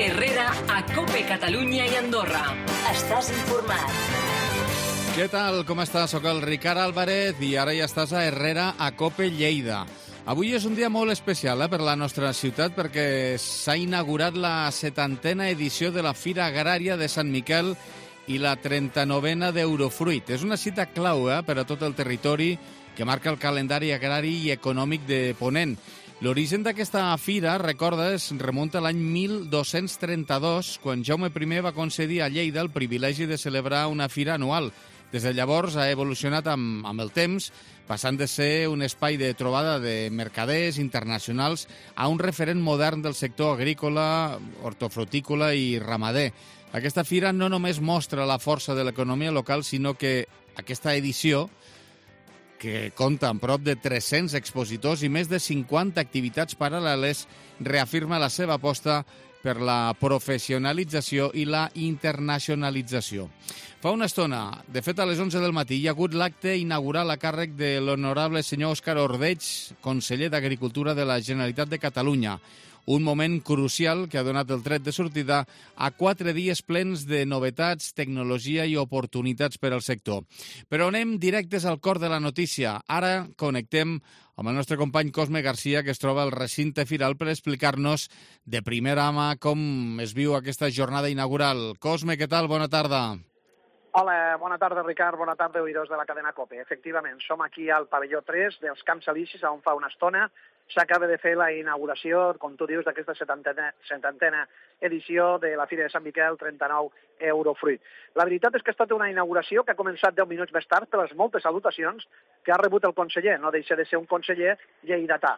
Herrera a COPE Catalunya i Andorra. Estàs informat. Què tal? Com estàs? Soc el Ricard Álvarez i ara ja estàs a Herrera a COPE Lleida. Avui és un dia molt especial per la nostra ciutat perquè s'ha inaugurat la 70a edició de la Fira Agrària de Sant Miquel i la 39a d'Eurofruit. És una cita clau per a tot el territori que marca el calendari agrari i econòmic de Ponent. L'origen d'aquesta fira, recordes, remunta a l'any 1232, quan Jaume I va concedir a Lleida el privilegi de celebrar una fira anual. Des de llavors ha evolucionat amb el temps, passant de ser un espai de trobada de mercaders internacionals a un referent modern del sector agrícola, hortofrutícola i ramader. Aquesta fira no només mostra la força de l'economia local, sinó que aquesta edició, que compta amb prop de 300 expositors i més de 50 activitats paral·leles, reafirma la seva aposta per la professionalització i la internacionalització. Fa una estona, de fet a les 11 del matí, hi ha hagut l'acte inaugural a càrrec de l'honorable senyor Òscar Ordeig, conseller d'Agricultura de la Generalitat de Catalunya. Un moment crucial que ha donat el tret de sortida a 4 dies plens de novetats, tecnologia i oportunitats per al sector. Però anem directes al cor de la notícia. Ara connectem amb el nostre company Cosme Garcia, que es troba al recinte firal, per explicar-nos de primera mà com es viu aquesta jornada inaugural. Cosme, què tal? Bona tarda. Hola, bona tarda, Ricard, bona tarda, oïdors de la cadena COPE. Efectivament, som aquí al pavelló 3 dels Camps Elisis, on fa una estona s'acaba de fer la inauguració, com tu dius, d'aquesta 70a edició de la Fira de Sant Miquel 39 Eurofruit. La veritat és que ha estat una inauguració que ha començat 10 minuts més tard per les moltes salutacions que ha rebut el conseller. No deixa de ser un conseller lleidatà.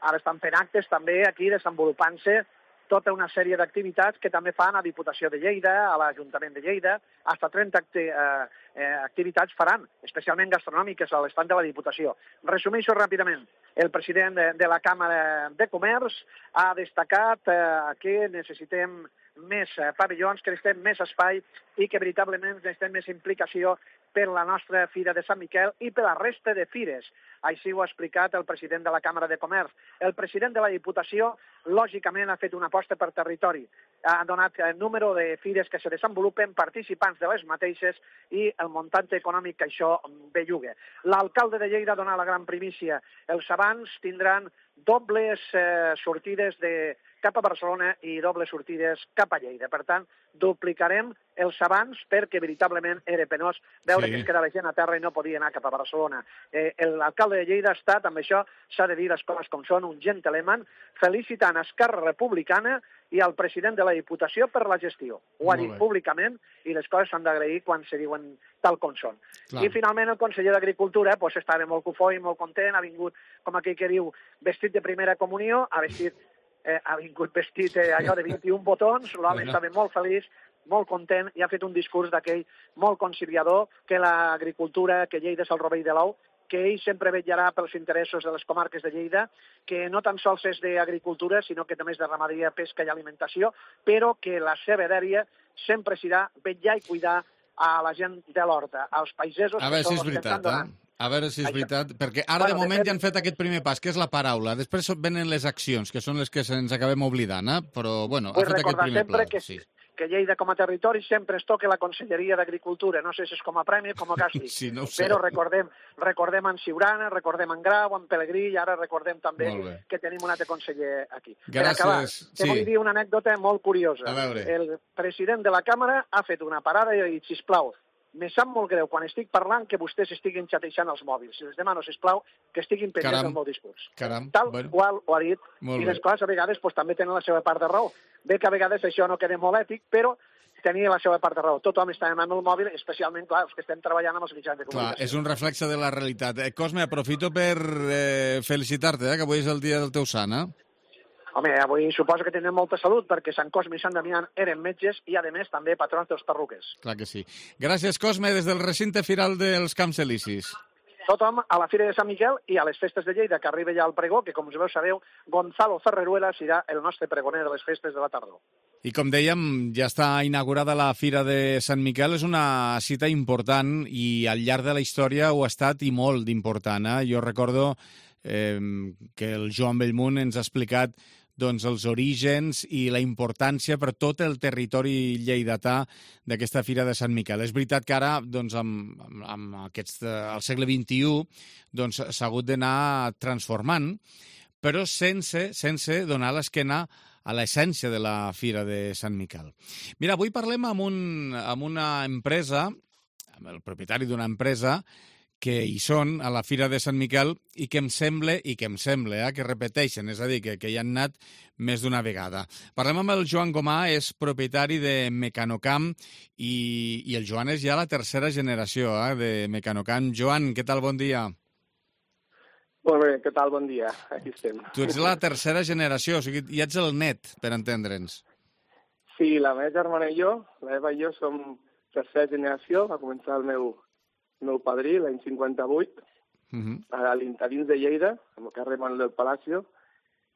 Ara estan fent actes també aquí desenvolupant-se tota una sèrie d'activitats que també fan a Diputació de Lleida, a l'Ajuntament de Lleida, fins a 30 activitats faran, especialment gastronòmiques a l'estand de la Diputació. Resumeixo ràpidament. El president de la Càmera de Comerç ha destacat que necessitem més pavellons, que necessitem més espai i que veritablement necessitem més implicació per la nostra Fira de Sant Miquel i per la resta de fires. Així ho ha explicat el president de la Càmera de Comerç. El president de la Diputació, lògicament, ha fet una aposta per territori. Ha donat el número de fires que se desenvolupen, participants de les mateixes i el muntant econòmic que això belluga. L'alcalde de Lleida ha donat la gran primícia. Els abans tindran dobles sortides cap a Barcelona i dobles sortides cap a Lleida. Per tant, duplicarem els abans perquè veritablement era penós veure que es quedava gent a terra i no podia anar cap a Barcelona. L'alcalde de Lleida ha estat, amb això s'ha de dir les coses com són, un gentleman, felicitant Esquerra Republicana i al president de la Diputació per la gestió. Ho ha dit públicament i les coses s'han d'agrair quan se diuen tal com són. I finalment el conseller d'Agricultura estava molt cofoi, molt content, ha vingut, com aquell que diu, vestit de primera comunió, ha vingut vestit allò de 21 botons, l'home estava molt feliç, molt content i ha fet un discurs d'aquell molt conciliador, que l'agricultura, que Lleida és el rovell de l'ou, que ell sempre vetllarà pels interessos de les comarques de Lleida, que no tan sols és d'agricultura, sinó que també és de ramaderia, pesca i alimentació, però que la seva dèria sempre serà vetllar i cuidar a la gent de l'horta, als pagesos... A veure si és veritat, A veure si és veritat, perquè ara de moment ja han fet aquest primer pas, que és la paraula. Després venen les accions, que són les que ens acabem oblidant, però, bueno, ha fet aquest primer pla. Que Lleida com a territori sempre es toca la Conselleria d'Agricultura. No sé si és com a premi o com a càstig. Sí, no ho sé. Però recordem en Siurana, recordem en Grau, en Pelegrí, i ara recordem també que tenim un altre conseller aquí. Gràcies. Per acabar, te vull dir una anècdota molt curiosa. A veure. El president de la Càmera ha fet una parada i ha dit, sisplau, me sap molt greu quan estic parlant que vostès estiguin xateixant els mòbils. Els demano, sisplau, que estiguin pendents del meu discurs. Tal qual ho ha dit. I les coses a vegades també tenen la seva part de raó. Bé que a vegades això no queda molt ètic, però tenia la seva part de raó. Tothom està amb el mòbil, especialment, clar, els que estem treballant amb els mitjans de comunicació. Clar, és un reflexe de la realitat. Cosme, aprofito per felicitar-te, que avui és el dia del teu sant, Home, avui suposo que tenen molta salut, perquè Sant Cosme i Sant Damià eren metges i, a més, també patrons dels perruques. Clar que sí. Gràcies, Cosme, des del recinte firal dels Camps Elisis. Tothom a la Fira de Sant Miquel i a les festes de Lleida, que arriba ja al pregó, que, com us sabeu, Gonzalo Ferreruela serà el nostre pregoner de les festes de la tardor. I com dèiem, ja està inaugurada la Fira de Sant Miquel. És una cita important i al llarg de la història ho ha estat i molt d'important. Jo recordo que el Joan Bellmunt ens ha explicat doncs, els orígens i la importància per tot el territori lleidatà d'aquesta Fira de Sant Miquel. És veritat que ara, doncs, amb al segle XXI, doncs, s'ha hagut d'anar transformant, però sense donar l'esquena a l'essència de la Fira de Sant Miquel. Mira, avui parlem amb una empresa, amb el propietari d'una empresa, que hi són a la Fira de Sant Miquel i que em sembla que repeteixen, és a dir, que hi han anat més d'una vegada. Parlem amb el Joan Gomà, és propietari de Mecanocam i el Joan és ja la tercera generació de Mecanocam. Joan, què tal? Bon dia. Molt bé, què tal? Bon dia. Aquí estem. Tu ets la tercera generació, o sigui, ja ets el net, per entendre'ns. Sí, la meva germana i jo, l'Eva i jo, som tercera generació. Va començar el meu padrí l'any 58, a l'Interins de Lleida, al carrer Manuel del Palacio,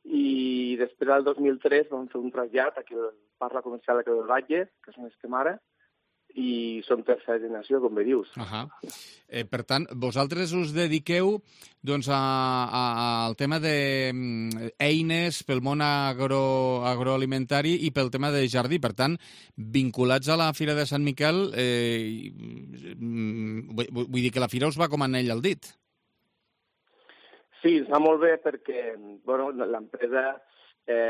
i després, al 2003, vam fer un trasllat aquí al Parc Comercial de Creu del Batlle, que és on estem ara, i som tercera generació, com bé dius. Per tant, vosaltres us dediqueu doncs, al tema d'eines pel món agroalimentari i pel tema de jardí. Per tant, vinculats a la Fira de Sant Miquel, vull dir que la Fira us va com anell al dit. Sí, ens va molt bé perquè l'empresa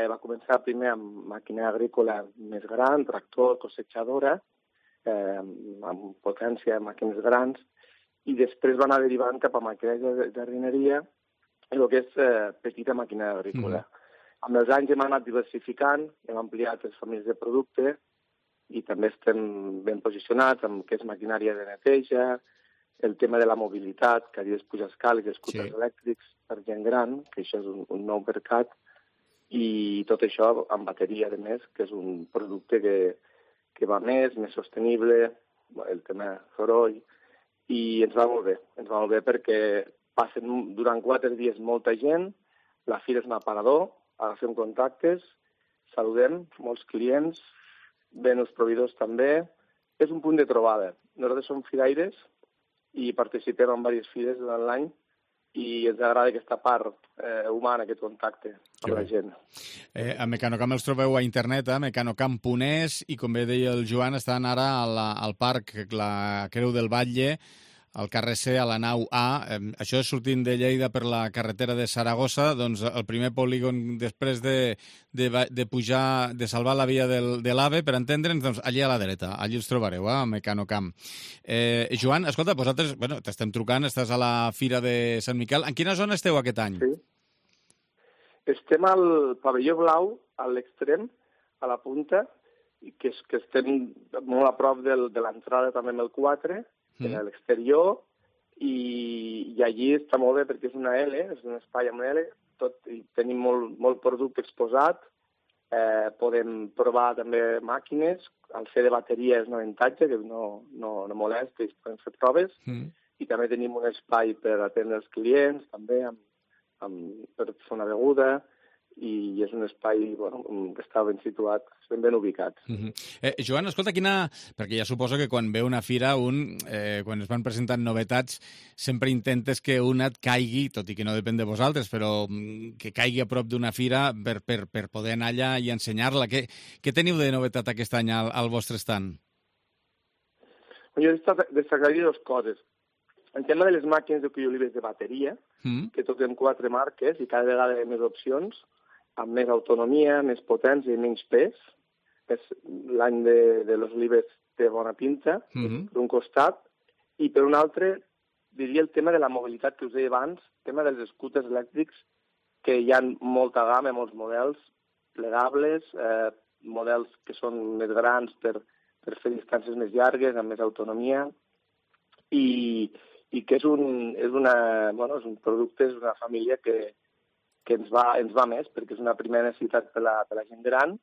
va començar primer amb maquinària agrícola més gran, tractor, cosechadora, amb potència de màquines grans, i després va anar derivant cap a maquinària de jardineria i el que és petita maquinària agrícola. Amb els anys hem anat diversificant, hem ampliat les famílies de producte i també estem ben posicionats amb el que és maquinària de neteja, el tema de la mobilitat, cadires pujar escales i escúters elèctrics per gent gran, que això és un nou mercat, i tot això amb bateria, a més, que és un producte que va més sostenible, el tema soroll, i ens va molt bé perquè passen durant 4 dies molta gent, la fira és un aparador, agafem contactes, saludem molts clients, ven els proveïdors també, és un punt de trobada. Nosaltres som firaires i participem en diverses fires durant l'any, i ens agrada aquesta part humana, aquest contacte amb la gent. A Mecanocam els trobeu a internet, mecanocam.es, i com bé deia el Joan, estan ara al Parc la Creu del Batlle, al carrer C, a la nau A. Això és sortint de Lleida per la carretera de Saragossa, doncs el primer polígon després de pujar, de salvar la via de l'AVE, per entendre'ns, doncs allí a la dreta, allí els trobareu, a Mecanocam. Joan, escolta, vosaltres, t'estem trucant, estàs a la Fira de Sant Miquel. En quina zona esteu aquest any? Sí. Estem al pavelló blau, a l'extrem, a la punta, que estem molt a prop de l'entrada també amb el 4, a l'exterior, i allí està molt bé perquè és una L, és un espai amb una L, i tenim molt producte exposat, podem provar també màquines, al ser de bateria és un avantatge, que no molesta, i podem fer proves, i també tenim un espai per atendre els clients, també per fer una beguda, i és un espai que està ben situat, ben ubicat. Joan, escolta, perquè ja suposo que quan ve una fira, quan es van presentant novetats, sempre intentes que una et caigui, tot i que no depèn de vosaltres, però que caigui a prop d'una fira per poder anar allà i ensenyar-la. Què teniu de novetat aquest any al vostre stand? Jo destacaria 2 coses. En tema de les màquines de cuiolives de bateria, que toquem 4 marques i cada vegada hi ha més opcions, amb més autonomia, més potència i menys pes. És l'any de les olives té bona pinta, per un costat, i per un altre, diria el tema de la mobilitat que us deia abans, el tema dels scooters elèctrics, que hi ha molta gamma, molts models plegables, models que són més grans per fer distàncies més llargues, amb més autonomia, i que és un producte, és una família que ens va més, perquè és una primera necessitat per la gent gran,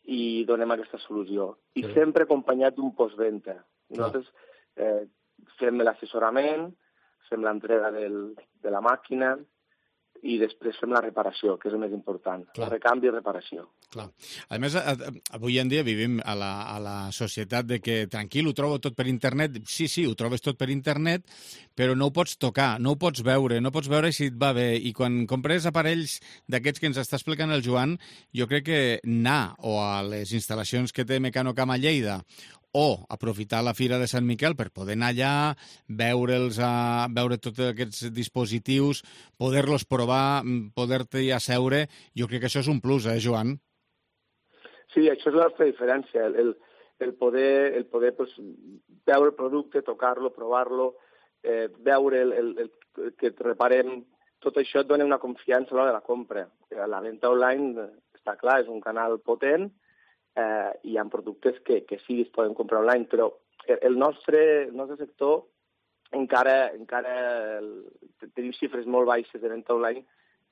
i donem aquesta solució. I sempre acompanyat d'un postventa. Nosaltres fem l'assessorament, fem l'entrega de la màquina, i després fem la reparació, que és el més important. Clar. Recanvi i reparació. Clar. A més, avui en dia vivim a la societat de que tranquil, ho trobo tot per internet. Sí, ho trobes tot per internet, però no ho pots tocar, no ho pots veure si et va bé. I quan compres aparells d'aquests que ens està explicant el Joan, jo crec que anar o a les instal·lacions que té Mecanocam a Lleida o aprofitar la Fira de Sant Miquel per poder anar allà, veure tots aquests dispositius, poder-los provar, poder-t'hi asseure, jo crec que això és un plus, Joan? Sí, això és la nostra diferència, el poder pues, veure el producte, tocar-lo, provar-lo, veure que et reparem, tot això et dona una confiança a l'hora de la compra. La venda online, està clar, és un canal potent, hi ha productes que sí es poden comprar online, però el nostre sector encara tenim xifres molt baixes de venda online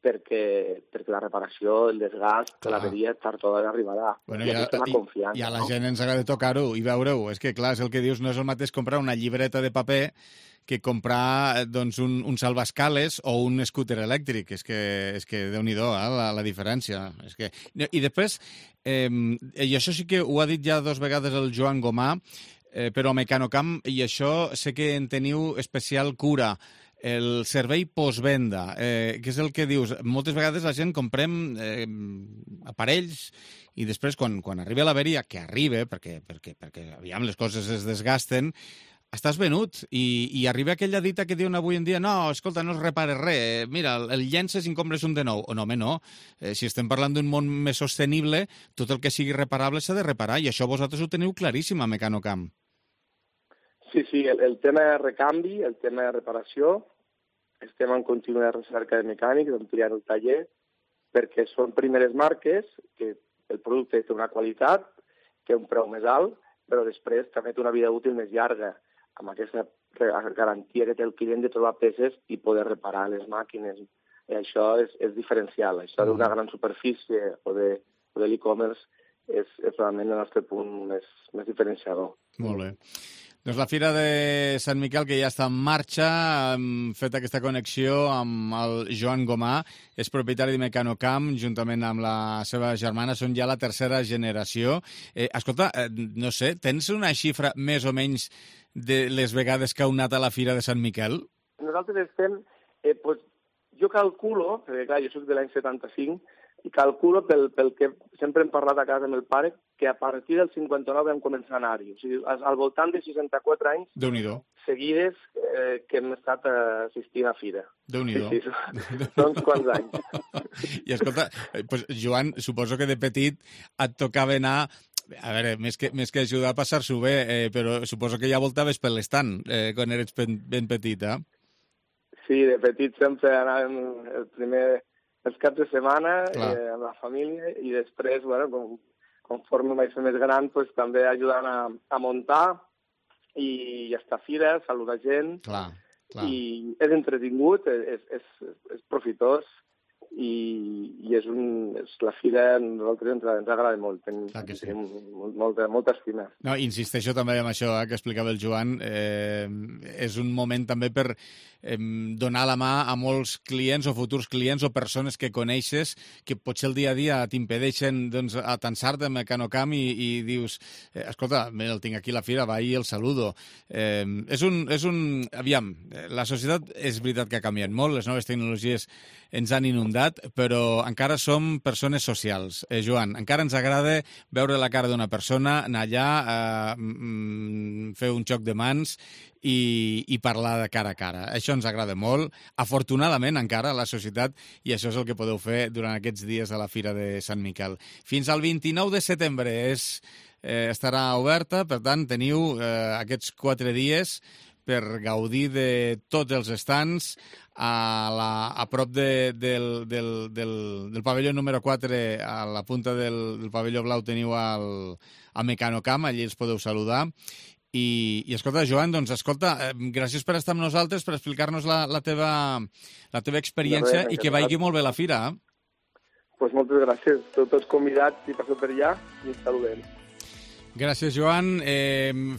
perquè la reparació, el desgast, l'averia tard o d'hora arribarà. Bueno, i a la gent ens agrada tocar-ho i veure-ho. És que, clar, és el que dius, no és el mateix comprar una llibreta de paper que comprar doncs, un salvaescales o un scooter elèctric. És que Déu-n'hi-do, la diferència. I després, i això sí que ho ha dit ja 2 vegades el Joan Gomà, però a Mecanocam, i això sé que en teniu especial cura, el servei postvenda, que és el que dius, moltes vegades la gent comprem aparells i després quan arriba l'averia, que arriba, perquè aviam, les coses es desgasten, estàs venut i arriba aquella dita que diuen avui en dia no, escolta, no es repara res, mira, el llences i en compres un de nou. No, home, no. Si estem parlant d'un món més sostenible, tot el que sigui reparable s'ha de reparar i això vosaltres ho teniu claríssim a Mecanocam. Sí, el tema de recanvi, el tema de reparació, estem en contínua recerca de mecànics, ampliant el taller, perquè són primeres marques, que el producte té una qualitat, té un preu més alt, però després també té una vida útil més llarga, amb aquesta garantia que té el client de trobar peces i poder reparar les màquines. I això és diferencial. Això d'una gran superfície o de l'e-commerce és realment el nostre punt més diferenciador. Molt bé. Doncs la Fira de Sant Miquel, que ja està en marxa, hem fet aquesta connexió amb el Joan Gomà, és propietari de Mecanocam, juntament amb la seva germana, són ja la 3a generació. Escolta, no sé, tens una xifra més o menys de les vegades que heu anat a la Fira de Sant Miquel? Nosaltres estem, jo calculo, perquè clar, jo soc de l'any 75, i calculo pel que sempre hem parlat a casa amb el pare, que a partir del 59 vam començar a anar-hi. O sigui, al voltant de 64 anys seguides que hem estat assistint a Fira. Déu-n'hi-do. Sí, són uns quants anys. I escolta, pues, Joan, suposo que de petit et tocava anar, a veure, més que ajudar a passar-s'ho bé, però suposo que ja voltaves per l'estand quan eres ben petita. Sí, de petit sempre anàvem els caps de setmana amb la família i després, conforme vaig ser més gran, també ajudant a muntar i estar a fira, saludar gent. Clar. I és entretingut, és profitós i és la fira a nosaltres ens agrada molt. Tenim molta estima. No, insisteixo també en això que explicava el Joan. És un moment també per donar la mà a molts clients o futurs clients o persones que coneixes que potser el dia a dia t'impedeixen atansar-te a Mecanocam i dius, escolta, el tinc aquí a la fira, va i el saludo. Aviam, la societat és veritat que ha canviat molt, les noves tecnologies ens han inundat, però encara som persones socials. Joan, encara ens agrada veure la cara d'una persona, anar allà, fer un xoc de mans i parlar de cara a cara. Això ens agrada molt, afortunadament encara a la societat, i això és el que podeu fer durant aquests dies a la Fira de Sant Miquel. Fins al 29 de setembre estarà oberta, per tant teniu aquests 4 dies per gaudir de tots els estants. A prop del pavelló número 4, a la punta del pavelló blau, teniu el Mecanocam, allí els podeu saludar. I escolta, Joan, gràcies per estar amb nosaltres, per explicar-nos la teva experiència i que vagi molt bé la fira. Moltes gràcies. Tots convidats i passeu per allà i ens saludem. Gràcies, Joan.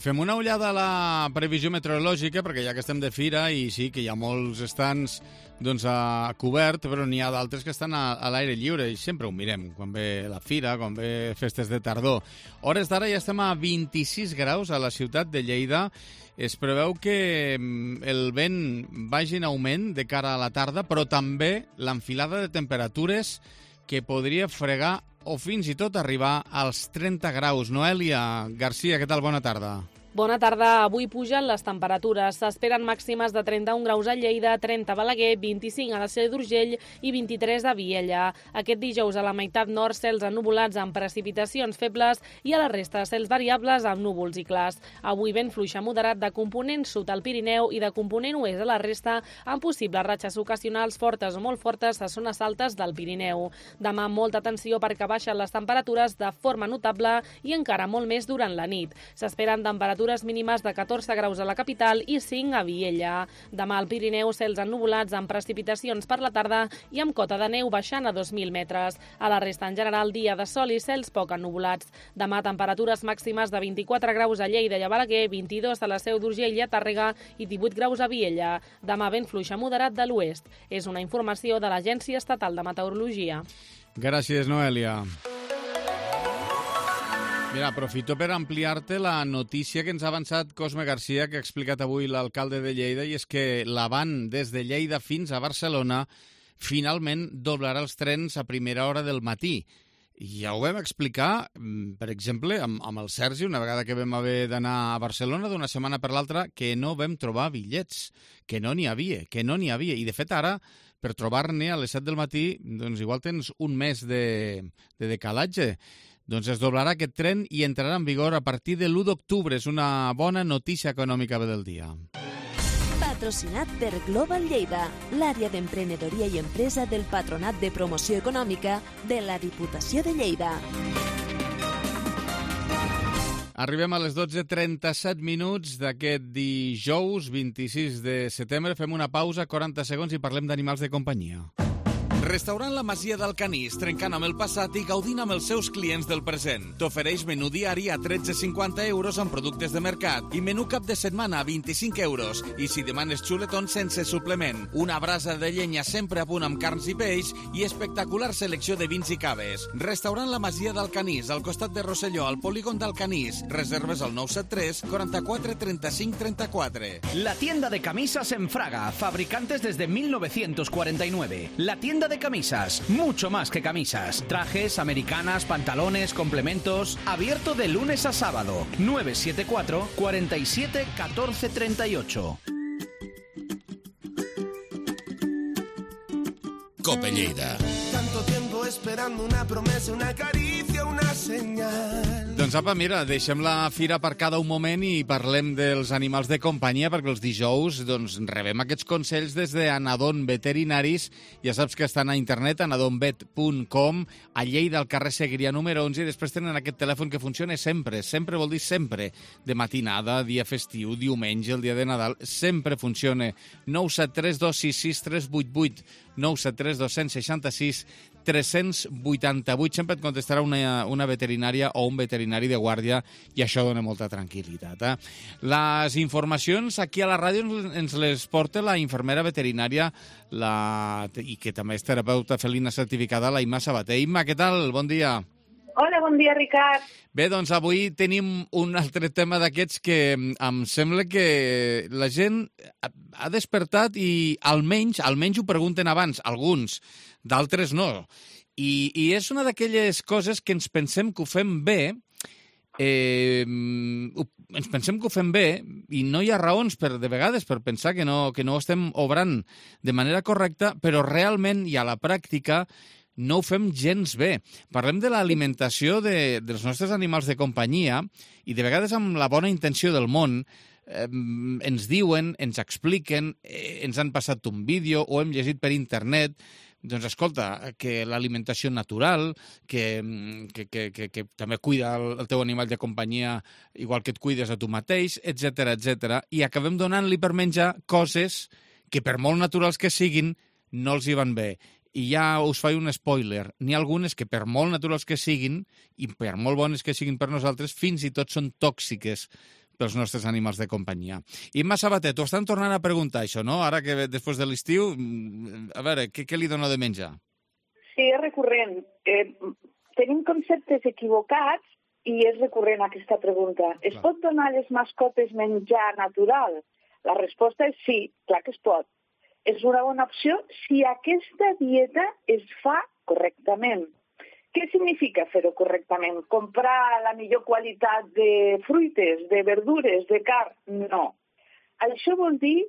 Fem una ullada a la previsió meteorològica, perquè ja que estem de fira, i sí que hi ha molts estants a cobert, però n'hi ha d'altres que estan a l'aire lliure, i sempre ho mirem, quan ve la fira, quan ve festes de tardor. Hores d'ara ja estem a 26 graus a la ciutat de Lleida. Es preveu que el vent vagi en augment de cara a la tarda, però també l'enfilada de temperatures que podria fregar o fins i tot arribar als 30 graus. Noèlia Garcia, què tal? Bona tarda. Bona tarda. Avui pugen les temperatures. S'esperen màximes de 31 graus a Lleida, 30 a Balaguer, 25 a la Seu d'Urgell i 23 a Viella. Aquest dijous a la meitat nord cels ennuvolats amb precipitacions febles i a la resta cels variables amb núvols i clars. Avui vent fluix a moderat de component sud al Pirineu i de component oest a la resta amb possibles ratxes ocasionals fortes o molt fortes a zones altes del Pirineu. Demà molta atenció perquè baixen les temperatures de forma notable i encara molt més durant la nit. S'esperen temperatures mínimes de 14 graus a la capital i 5 a Viella. Demà al Pirineu, cels ennuvolats amb precipitacions per la tarda i amb cota de neu baixant a 2.000 metres. A la resta, en general, dia de sol i cels poc ennuvolats. Demà, temperatures màximes de 24 graus a Lleida i a Balaguer, 22 a la Seu d'Urgell i a Tàrrega i 18 graus a Viella. Demà, vent fluix a moderat de l'oest. És una informació de l'Agència Estatal de Meteorologia. Gràcies, Noèlia. Mira, aprofito per ampliar-te la notícia que ens ha avançat Cosme Garcia, que ha explicat avui l'alcalde de Lleida, i és que l'Avant des de Lleida fins a Barcelona finalment doblarà els trens a primera hora del matí. Ja ho vam explicar, per exemple, amb el Sergi, una vegada que vam haver d'anar a Barcelona d'una setmana per l'altra, que no vam trobar bitllets, que no n'hi havia. I, de fet, ara, per trobar-ne a les 7 del matí, doncs igual tens un mes de decalatge. Doncs es doblarà aquest tren i entrarà en vigor a partir de l'1 d'octubre. És una bona notícia econòmica del dia. Patrocinat per Global Lleida, l'àrea d'emprenedoria i empresa del Patronat de Promoció Econòmica de la Diputació de Lleida. Arribem a les 12:37 d'aquest dijous 26 de setembre. Fem una pausa, 40 segons, i parlem d'animals de companyia. Restaurant La Masia d'Alcanís, trencant amb el passat i gaudint amb els seus clients del present. T'ofereix menú diari a 13,50 euros amb productes de mercat i menú cap de setmana a 25 euros. I si demanes xuletons sense suplement, una brasa de llenya sempre a punt amb carns i peix i espectacular selecció de vins i caves. Restaurant La Masia d'Alcanís, al costat de Rosselló, al polígon d'Alcanís. Reserves al 973 44 35 34. La tienda de camisas en Fraga, fabricantes desde 1949. La tienda de camisas, mucho más que camisas. Trajes, americanas, pantalones, complementos. Abierto de lunes a sábado. 974 47 14 38. Cope Lleida. Tanto tiempo esperando una promesa, una caricia, una señal. Doncs apa, mira, deixem la fira aparcada un moment i parlem dels animals de companyia, perquè els dijous rebem aquests consells des d'Anadon Veterinaris. Ja saps que estan a internet, anadonvet.com, a Lleida, al carrer Segrià número 11, i després tenen aquest telèfon que funciona sempre, sempre vol dir sempre, de matinada, dia festiu, diumenge, el dia de Nadal, sempre funciona. 973 266 388, 973 266 388. Sempre et contestarà una veterinària o un veterinari de guàrdia, i això dona molta tranquil·litat. Les informacions aquí a la ràdio ens les porta la infermera veterinària i que també és terapeuta felina certificada, la Imma Sabater. Imma, què tal? Bon dia. Hola, bon dia, Ricard. Bé, doncs avui tenim un altre tema d'aquests que em sembla que la gent ha despertat i almenys ho pregunten abans, alguns, d'altres no. I és una d'aquelles coses que ens pensem que ho fem bé, i no hi ha raons de vegades per pensar que no ho estem obrant de manera correcta, però realment i a la pràctica no ho fem gens bé. Parlem de l'alimentació dels nostres animals de companyia i de vegades amb la bona intenció del món ens diuen, ens expliquen, ens han passat un vídeo o hem llegit per internet, doncs escolta, que l'alimentació natural, que també cuida el teu animal de companyia igual que et cuides a tu mateix, etc. I acabem donant-li per menjar coses que per molt naturals que siguin no els hi van bé. I ja us faig un spoiler. N'hi ha algunes que, per molt naturals que siguin, i per molt bones que siguin per nosaltres, fins i tot són tòxiques pels nostres animals de companyia. Imma Sabater, t'ho estan tornant a preguntar, això, no? Ara que després de l'estiu, a veure, què li dono de menjar? Sí, és recurrent. Tenim conceptes equivocats i és recurrent aquesta pregunta. Es pot donar a les mascotes menjar natural? La resposta és sí, clar que es pot. És una bona opció si aquesta dieta es fa correctament. Què significa fer-ho correctament? Comprar la millor qualitat de fruites, de verdures, de carn? No. Això vol dir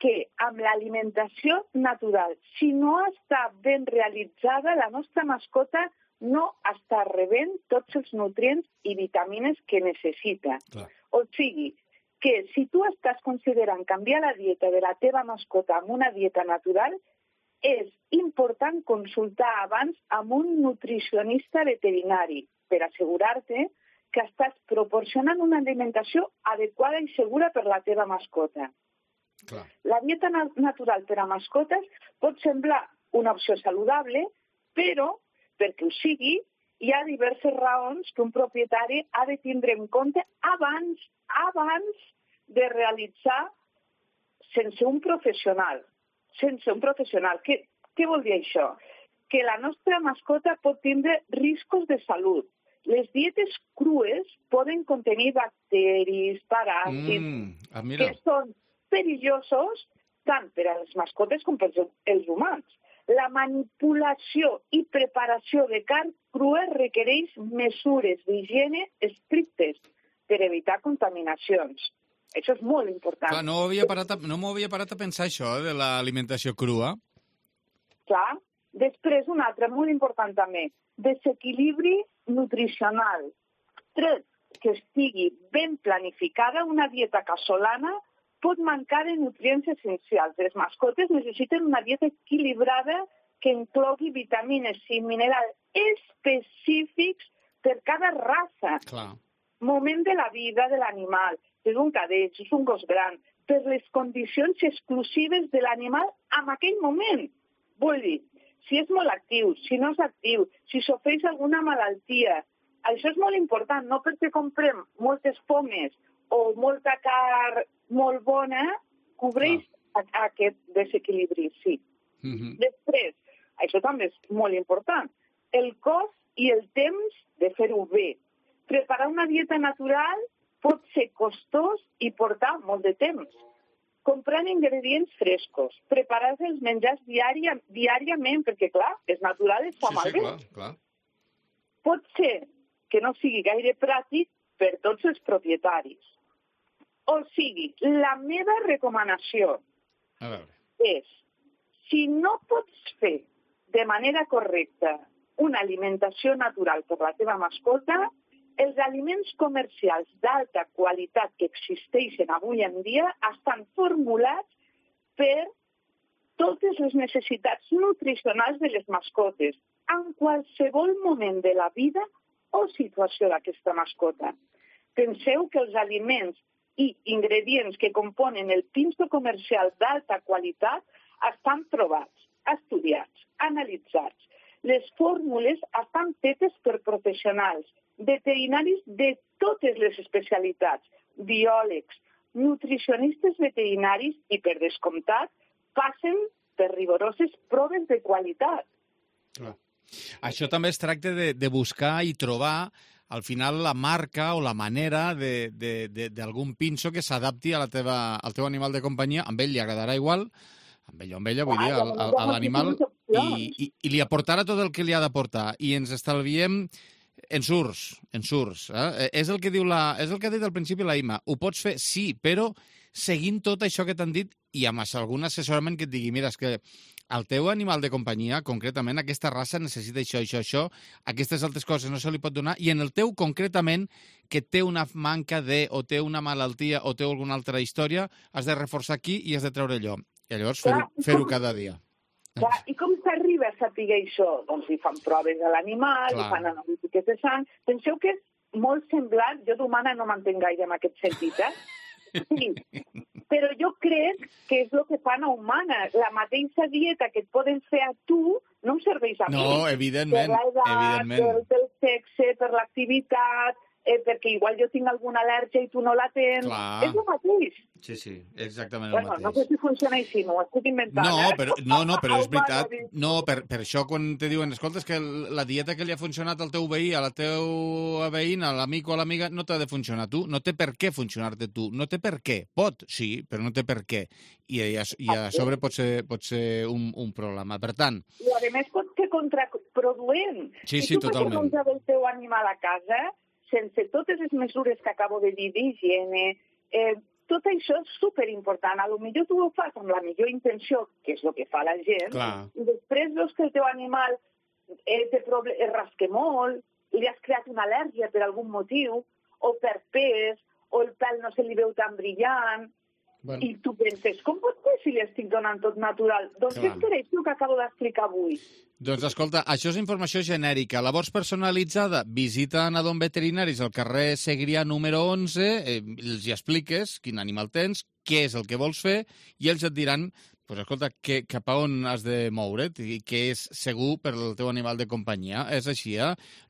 que amb l'alimentació natural, si no està ben realitzada, la nostra mascota no està rebent tots els nutrients i vitamines que necessita. Clar. O sigui, que si tu estàs considerant canviar la dieta de la teva mascota amb una dieta natural, és important consultar abans amb un nutricionista veterinari per assegurar-te que estàs proporcionant una alimentació adequada i segura per la teva mascota. Clar. La dieta natural per a mascotes pot semblar una opció saludable, però, perquè ho sigui, hi ha diverses raons que un propietari ha de tindre en compte abans de realitzar sense un professional. Què vol dir això? Que la nostra mascota pot tindre riscos de salut. Les dietes crues poden contenir bacteris, paràsits, que són perillosos tant per a les mascotes com per als humans. La manipulació i preparació de carn crua requereix mesures d'higiene estrictes per evitar contaminacions. Això és molt important. Clar, no m'ho havia parat a pensar, això, de l'alimentació crua. Clar. Després, una altra, molt important també, desequilibri nutricional. Tret que estigui ben planificada, una dieta casolana pot mancar de nutrients essencials. Les mascotes necessiten una dieta equilibrada que inclogui vitamines i minerals específics per cada raça. Clar. Moment de la vida de l'animal. És un cadell, és un gos gran, per les condicions exclusives de l'animal en aquell moment. Vull dir, si és molt actiu, si no és actiu, si sofreix alguna malaltia. Això és molt important, no perquè comprem moltes pomes o molta carn molt bona, cobreix aquest desequilibri, sí. Després, això també és molt important, el cost i el temps de fer-ho bé. Preparar una dieta natural pot ser costós i portar molt de temps. Comprant ingredients frescos, preparar els menjars diàriament, perquè, clar, és natural, es fa malbé. Clar. Pot ser que no sigui gaire pràctic per tots els propietaris. O sigui, la meva recomanació és, si no pots fer de manera correcta una alimentació natural per la teva mascota, els aliments comercials d'alta qualitat que existeixen avui en dia estan formulats per totes les necessitats nutricionals de les mascotes, en qualsevol moment de la vida o situació d'aquesta mascota. Penseu que els aliments i ingredients que componen el pinso comercial d'alta qualitat estan provats, estudiats, analitzats. Les fórmules estan fetes per professionals, veterinaris de totes les especialitats, biòlegs, nutricionistes veterinaris i, per descomptat, passen per rigoroses proves de qualitat. Clar. Això també es tracta de buscar i trobar al final la marca o la manera d'algun pinso que s'adapti al teu animal de companyia. A ell li agradarà igual, amb ella, vull dir, a l'animal, i li aportarà tot el que li ha d'aportar. I ens estalviem ensurts. És el que ha dit al principi la Imma. Ho pots fer, sí, però seguint tot això que t'han dit i amb algun assessorament que et digui, mira, és que el teu animal de companyia, concretament, aquesta raça necessita això, aquestes altres coses no se li pot donar, i en el teu, concretament, que té una manca o té una malaltia o té alguna altra història, has de reforçar aquí i has de treure allò. I llavors fer-ho cada dia. Clar, i com s'arriba a saber això? Doncs hi fan proves a l'animal, hi fan analítiques de sang. Penseu que és molt semblant, jo d'humana no m'entenc gaire en aquest sentit, Sí. Però jo crec que és el que fan a humanes. La mateixa dieta que et poden fer a tu no em serveix a mi. No, evidentment. Per l'edat, pel sexe, per l'activitat, perquè igual jo tinc alguna al·lèrgia i tu no la tens. Clar. És el mateix. Sí, exactament el mateix. No sé si funciona així, m'ho estic inventant. Però és veritat. No, per això quan te diuen, escolta, és que la dieta que li ha funcionat al teu veí, a la teva veïna, a l'amic o a l'amiga, no t'ha de funcionar a tu, no té per què funcionar-te tu, no té per què. Pot, sí, però no té per què. I a sobre pot ser un problema. Per tant... I a més pot ser contraproduent. Sí, si tu totalment. fas menjar del teu animal a casa, sense totes les mesures que acabo de dir d'higiene, tot això és superimportant. A lo millor tu ho fas amb la millor intenció, que és el que fa la gent, Clar. I després veus que el teu animal es rasca molt, li has creat una al·lèrgia per algun motiu, o per pes, o el pèl no se li veu tan brillant, i tu penses, com pot ser si li estic donant tot natural? Doncs és per això que acabo d'explicar avui. Doncs escolta, això és informació genèrica. La vols personalitzada? Visita Anadom Veterinaris al carrer Segrià número 11, els hi expliques quin animal tens, què és el que vols fer, i ells et diran, pues escolta, cap a on has de moure't i què és segur per al teu animal de companyia. És així,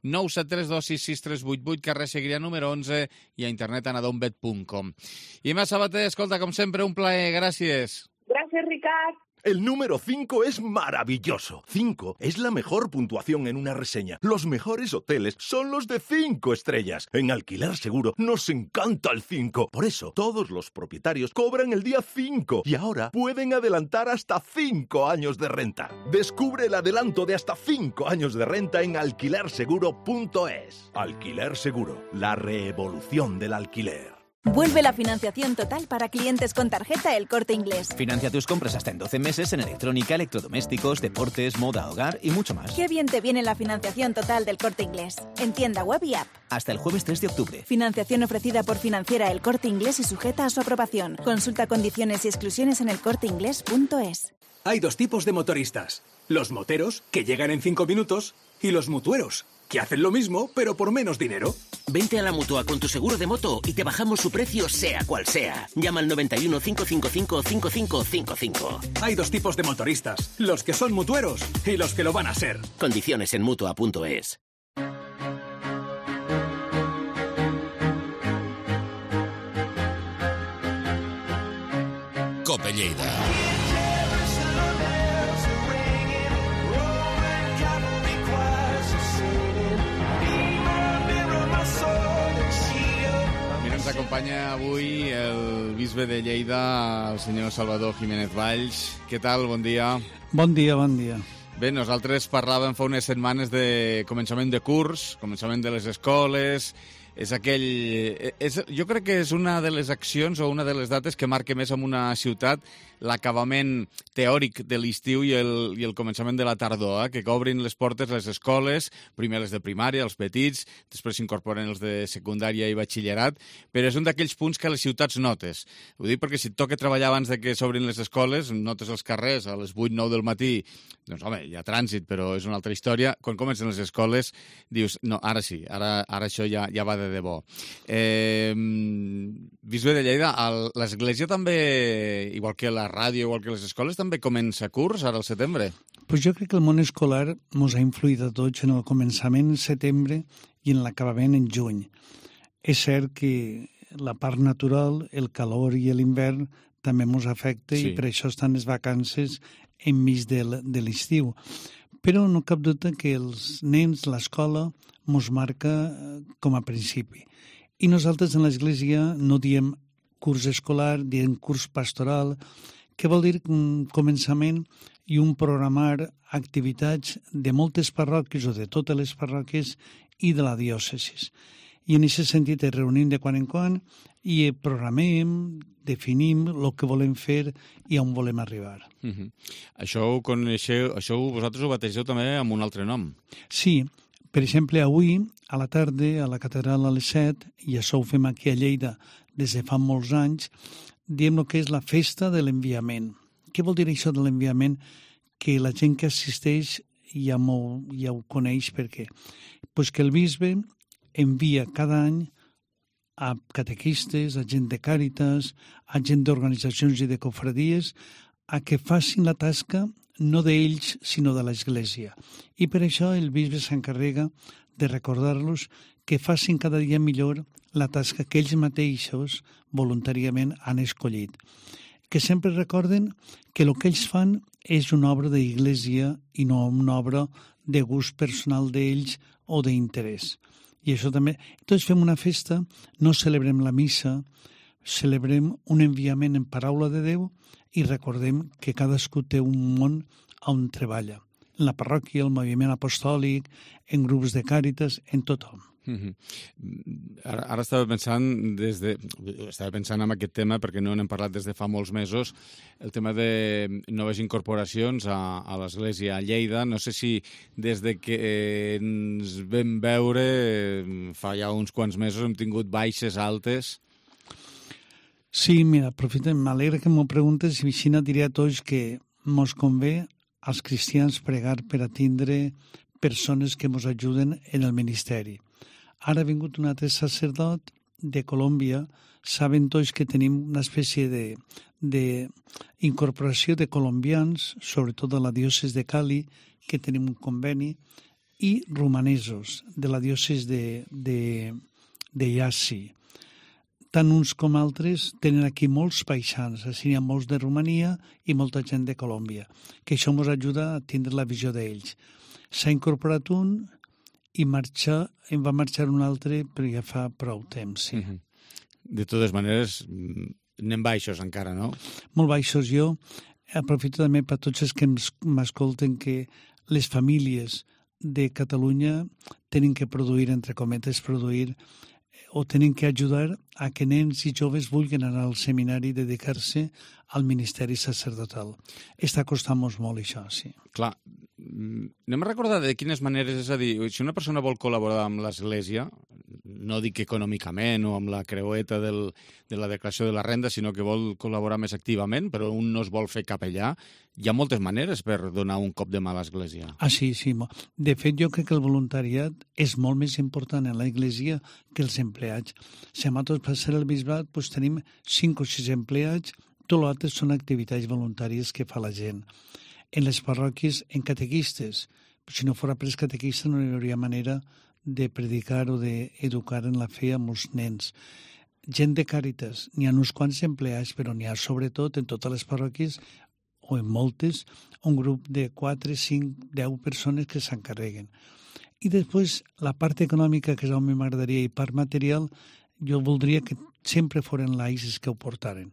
973266388, carrer Segrià número 11 i a internet anadombet.com. I Mas Sabater, escolta, com sempre, un plaer. Gràcies. Gràcies, Ricard. El número 5 es maravilloso. 5 es la mejor puntuación en una reseña. Los mejores hoteles son los de 5 estrellas. En Alquiler Seguro nos encanta el 5. Por eso, todos los propietarios cobran el día 5 y ahora pueden adelantar hasta 5 años de renta. Descubre el adelanto de hasta 5 años de renta en alquilerseguro.es. Alquiler Seguro, la revolución del alquiler. Vuelve la financiación total para clientes con tarjeta El Corte Inglés. Financia tus compras hasta en 12 meses en electrónica, electrodomésticos, deportes, moda, hogar y mucho más. Qué bien te viene la financiación total del Corte Inglés. En tienda web y app. Hasta el jueves 3 de octubre. Financiación ofrecida por Financiera El Corte Inglés y sujeta a su aprobación. Consulta condiciones y exclusiones en elcorteinglés.es. Hay dos tipos de motoristas. Los moteros, que llegan en 5 minutos, y los mutueros, que hacen lo mismo, pero por menos dinero. Vente a la Mutua con tu seguro de moto y te bajamos su precio sea cual sea. Llama al 91 555 5555. Hay dos tipos de motoristas, los que son mutueros y los que lo van a ser. Condiciones en Mutua.es. Cope Lleida. Ens acompanya avui el bisbe de Lleida, el senyor Salvador Jiménez Valls. Què tal? Bon dia. Bon dia, bon dia. Bé, nosaltres parlàvem fa unes setmanes de començament de curs, començament de les escoles. Jo crec que és una de les accions o una de les dates que marca més en una ciutat l'acabament teòric de l'estiu i el començament de la tardor, que obrin les portes les escoles, primer les de primària, els petits, després s'incorporen els de secundària i batxillerat, però és un d'aquells punts que a les ciutats notes. Ho dic perquè si et toca treballar abans de que s'obrin les escoles, notes els carrers a les 8-9 del matí, doncs home, hi ha trànsit, però és una altra història. Quan comencen les escoles dius, no, ara sí, ara això ja va de debò. Bisbe de Lleida, l'església també, igual que la ràdio, igual que les escoles, també comença curs ara al setembre? Pues jo crec que el món escolar ens ha influït a tots en el començament en setembre i en l'acabament en juny. És cert que la part natural, el calor i l'hivern també ens afecta i per això estan les vacances enmig de l'estiu. Però no cap dubte que els nens, l'escola, ens marca com a principi. I nosaltres en l'església no diem curs escolar, diem curs pastoral, que vol dir un començament i un programar activitats de moltes parròquies o de totes les parròquies i de la diòcesis. I en aquest sentit ens reunim de quan en quan i programem, definim el que volem fer i on volem arribar. Això vosaltres ho bategeu també amb un altre nom. Sí, per exemple, avui a la tarda a la catedral a les 7, i això ho fem aquí a Lleida des de fa molts anys, diem el que és la festa de l'enviament. Què vol dir això de l'enviament? Que la gent que assisteix ja ho coneix per què. Pues que el bisbe envia cada any a catequistes, a gent de Càritas, a gent d'organitzacions i de cofradies, a que facin la tasca no d'ells, sinó de l'Església. I per això el bisbe s'encarrega de recordar-los que facin cada dia millor la tasca que ells mateixos voluntàriament han escollit. Que sempre recorden que el que ells fan és una obra d'Església i no una obra de gust personal d'ells o d'interès. I això també... Tots fem una festa, no celebrem la missa, celebrem un enviament en paraula de Déu i recordem que cadascú té un món on treballa. En la parròquia, el moviment apostòlic, en grups de Càritas, en tothom. Ara estava pensant en aquest tema, perquè no n'hem parlat des de fa molts mesos, el tema de noves incorporacions a l'Església a Lleida. No sé si des de que ens vam veure fa ja uns quants mesos hem tingut baixes altes. Sí, mira, aprofita, m'alegra que m'ho preguntes i així diré a tots que mos convé als cristians pregar per a tindre persones que ens ajuden en el ministeri. Ara ha vingut un altre sacerdot de Colòmbia. Saben tots que tenim una espècie d'incorporació de colombians, sobretot de la diòcesi de Cali, que tenim un conveni, i romanesos de la diòcesi de Iasi. Tant uns com altres tenen aquí molts paisans, així hi ha molts de Romania i molta gent de Colòmbia, que això ens ajuda a tindre la visió d'ells. S'ha incorporat un i em va marxar un altre, però ja fa prou temps, sí. De totes maneres, anem baixos encara, no? Molt baixos. Jo aprofito també per tots els que m'escolten que les famílies de Catalunya tenen que produir, entre cometes, o tenen que ajudar a que nens i joves vulguin anar al seminari i dedicar-se al ministeri sacerdotal. Està costant-nos molt això, sí. Clar, anem a recordar de quines maneres, és a dir, si una persona vol col·laborar amb l'Església, no dic econòmicament o amb la creueta de la declaració de la renda, sinó que vol col·laborar més activament, però un no es vol fer capellà, hi ha moltes maneres per donar un cop de mà a l'Església. Ah, sí, sí. De fet, jo crec que el voluntariat és molt més important en l'Església que els empleats. Si a nosaltres per ser el bisbat tenim 5 o 6 empleats, tot l'altre són activitats voluntàries que fa la gent. En les parròquies, en catequistes. Si no fos pres catequista no hi hauria manera de predicar o d'educar en la fe amb els nens. Gent de Càritas, n'hi ha uns quants empleats, però n'hi ha sobretot en totes les parròquies, o en moltes, un grup de 4, 5, 10 persones que s'encarreguen. I després, la part econòmica, que és on m'agradaria, i part material, jo voldria que sempre foren laics que ho portaren,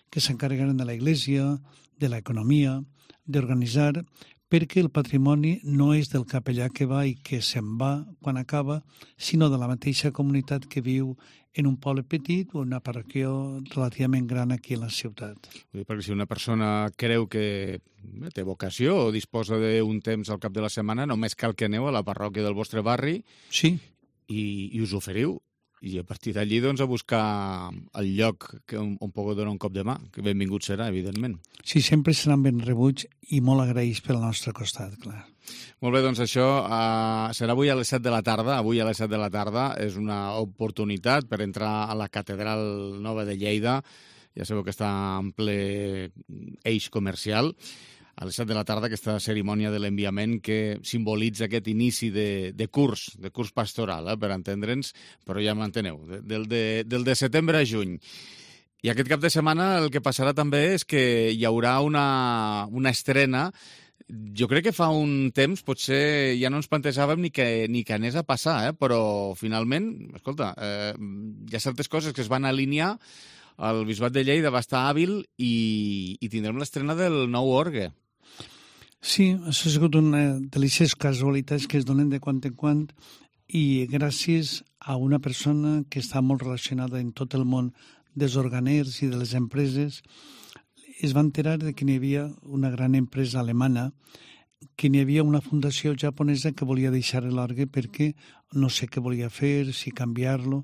que s'encarregaren de la Iglesia, de l'economia, d'organitzar, perquè el patrimoni no és del capellà que va i que se'n va quan acaba, sinó de la mateixa comunitat que viu en un poble petit o una parròquia relativament gran aquí a la ciutat. Perquè si una persona creu que té vocació o disposa d'un temps al cap de la setmana, només cal que aneu a la parròquia del vostre barri, sí, i us oferiu. I a partir d'allí, doncs, a buscar el lloc on pugueu donar un cop de mà, que benvingut serà, evidentment. Sí, sempre seran ben rebuts i molt agraïts pel nostre costat, clar. Molt bé, doncs això serà avui a les 7 de la tarda. Avui a les 7 de la tarda és una oportunitat per entrar a la Catedral Nova de Lleida. Ja sabeu que està en ple eix comercial. A les 7 de la tarda, aquesta cerimònia de l'enviament que simbolitza aquest inici de curs pastoral, per entendre'ns, però ja m'enteneu, del de setembre a juny. I aquest cap de setmana el que passarà també és que hi haurà una estrena. Jo crec que fa un temps potser ja no ens plantejàvem ni que anés a passar, però finalment, escolta, hi ha certes coses que es van alinear. El Bisbat de Lleida va estar hàbil i tindrem l'estrena del nou orgue. Sí, això ha sigut una deliciós casualitats que es donen de quan en quan i gràcies a una persona que està molt relacionada en tot el món dels organers i de les empreses, es va enterar de que n'hi havia una gran empresa alemana, que n'hi havia una fundació japonesa que volia deixar l'orgue perquè no sé què volia fer, si canviar-lo,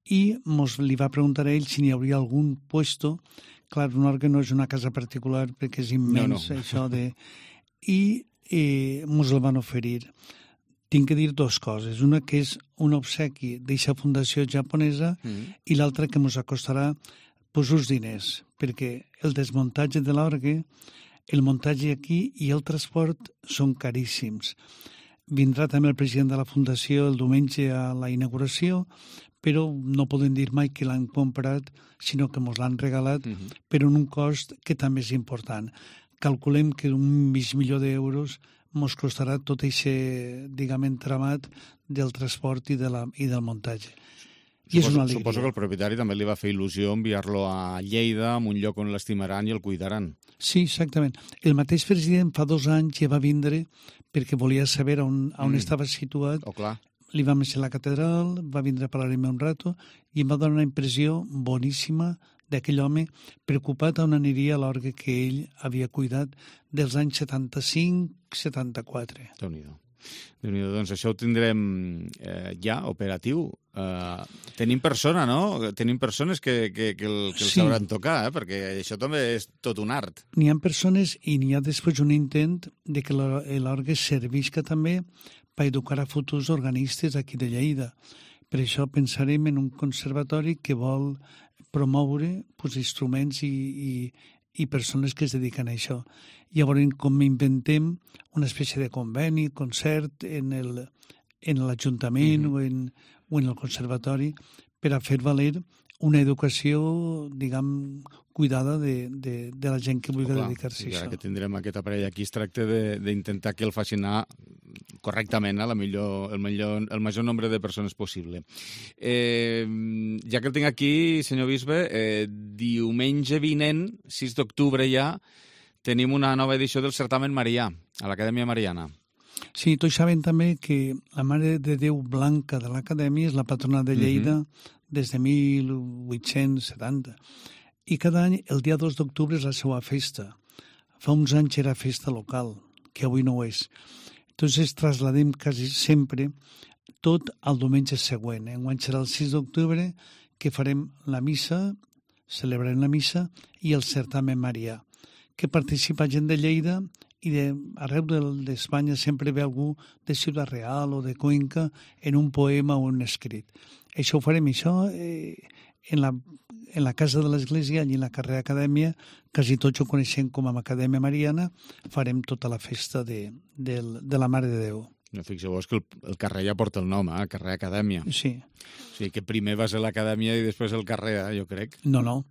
i li va preguntar a ell si n'hi hauria algun puesto. Clar, un orgue no és una casa particular perquè és immens, no. Això de... I ens el van oferir. tinc que dir dues coses. Una que és un obsequi d'eixa fundació japonesa i l'altra que ens acostarà uns diners, perquè el desmuntatge de l'orgue, el muntatge aquí i el transport són caríssims. Vindrà també el president de la fundació el diumenge a la inauguració, però no podem dir mai que l'han comprat, sinó que ens l'han regalat, però en un cost que també és important. Calculem que $1.500.000 ens costarà tot aquest, diguem, entramat del transport i del muntatge. Suposo que el propietari també li va fer il·lusió enviar-lo a Lleida, en un lloc on l'estimaran i el cuidaran. Sí, exactament. El mateix president fa 2 anys ja va vindre perquè volia saber on estava situat. Li vam deixar la catedral, va vindre a parlar-me un rato i em va donar una impressió boníssima d'aquell home preocupat on aniria l'orgue que ell havia cuidat dels anys 75-74. Déu-n'hi-do. Doncs això ho tindrem ja operatiu. Tenim persona, no? Tenim persones que el sabran tocar, perquè això també és tot un art. N'hi ha persones i n'hi ha després un intent de que l'orgue servisca també per educar a futurs organistes aquí de Lleida. Per això pensarem en un conservatori que vol promoure instruments i persones que es dediquen a això. Llavors, com inventem una espècie de conveni, concert en l'Ajuntament o en el conservatori per a fer valer una educació, diguem, cuidada de la gent que vulgui dedicar-se a això. Ara que tindrem aquest aparell aquí, es tracta d'intentar que el facin anar correctament el major nombre de persones possible. Ja que el tinc aquí, senyor bisbe, diumenge vinent, 6 d'octubre ja, tenim una nova edició del certamen Marià, a l'Acadèmia Mariana. Sí, tots saben també que la Mare de Déu Blanca de l'Acadèmia és la patrona de Lleida des de 1870. I cada any, el dia 2 d'octubre és la seva festa. Fa uns anys era festa local, que avui no ho és. Entonces trasladem quasi sempre tot al diumenge següent. Enguany serà el 6 d'octubre que farem la missa, celebrarem la missa i el certamen Marià, que participa gent de Lleida i arreu d'Espanya sempre ve algú de Ciutat Real o de Cuenca en un poema o un escrit. Això ho farem, en la casa de l'Església, allí en la carrer Acadèmia, quasi tots ho coneixem com a Acadèmia Mariana, farem tota la festa de la Mare de Déu. Fixeu-vos que el carrer ja porta el nom, el carrer Acadèmia. Sí. O sigui que primer va ser l'Acadèmia i després el carrer, jo crec. No.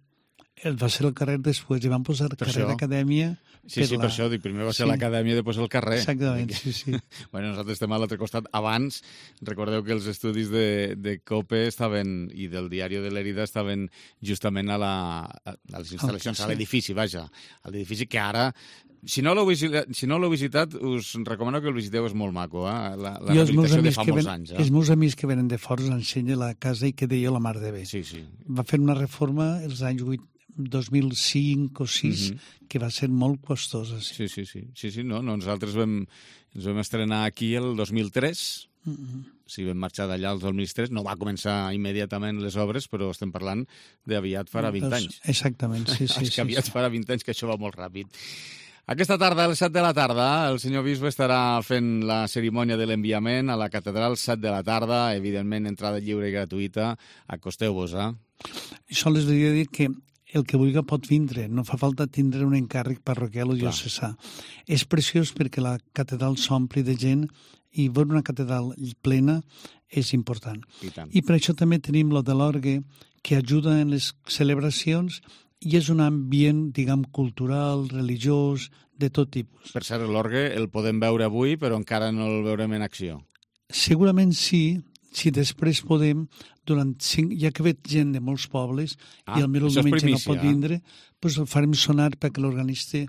Va ser el carrer després, i van posar el carrer d'Acadèmia. Sí, per això dic, primer va ser l'Acadèmia i després el carrer. Exactament, sí. Bueno, nosaltres estem a l'altre costat. Abans, recordeu que els estudis de COPE estaven, i del Diari de l'Herida estaven justament a les instal·lacions, a l'edifici, vaja. A l'edifici que ara, si no l'heu visitat, us recomano que el visiteu, és molt maco, la rehabilitació de fa molts anys. Els meus amics que venen de fora ens ensenyen la casa i que deia la Mar de Bé. Sí. Va fer una reforma els anys 2005 o 2006, que va ser molt costosa. Sí. No, nosaltres ens vam estrenar aquí el 2003, vam marxar d'allà el 2003, no va començar immediatament les obres, però estem parlant d'aviat farà 20 anys. Exactament, sí. És que aviat farà 20 anys, que això va molt ràpid. Aquesta tarda, a les 7 de la tarda, el senyor bisbe estarà fent la cerimònia de l'enviament a la catedral, 7 de la tarda, evidentment entrada lliure i gratuïta. Acosteu-vos, Això les volia dir que el que vulgui pot vindre, no fa falta tindre un encàrrec parroquial o diocesà. És preciós perquè la catedral s'ompli de gent i veure una catedral plena és important. I per això també tenim lo de l'orgue, que ajuda en les celebracions i és un ambient, diguem, cultural, religiós, de tot tipus. Per cert, l'orgue el podem veure avui, però encara no el veurem en acció. Segurament sí, si després podem, ja que ve gent de molts pobles i el meu diumenge no pot vindre, doncs el farem sonar perquè l'organista,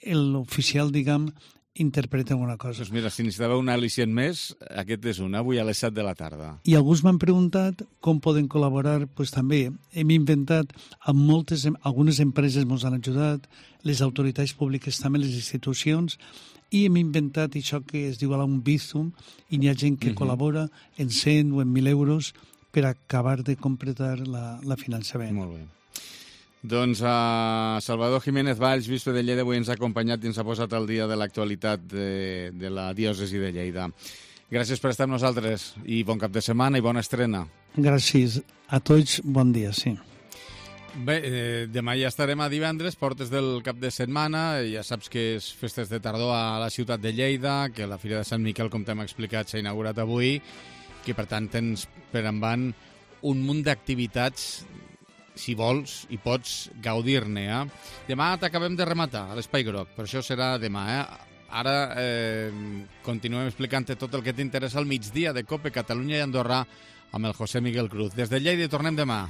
l'oficial, diguem, interpreta alguna cosa. Doncs mira, si necessitava un al·licient més, aquest és un, avui a les 7 de la tarda. I alguns m'han preguntat com poden col·laborar, doncs també hem inventat, algunes empreses ens han ajudat, les autoritats públiques també, les institucions, i hem inventat això que es diu un Bizum, i hi ha gent que col·labora en 100 o en 1.000 euros per acabar de completar el finançament. Molt bé. Doncs Salvador Jiménez Valls, bisbe de Lleida, avui ens ha acompanyat i ens ha posat al dia de l'actualitat de la diòcesi de Lleida. Gràcies per estar amb nosaltres i bon cap de setmana i bona estrena. Gràcies a tots, bon dia, sí. Bé, demà ja estarem a divendres, portes del cap de setmana, ja saps que és festes de tardor a la ciutat de Lleida, que la Fira de Sant Miquel, com t'hem explicat, s'ha inaugurat avui, que per tant tens per endavant un munt d'activitats, si vols i pots gaudir-ne. Demà t'acabem de rematar a l'Espai Groc, per això serà demà. Ara continuem explicant-te tot el que t'interessa al migdia de COPE Catalunya i Andorra amb el José Miguel Cruz. Des de Lleida tornem demà.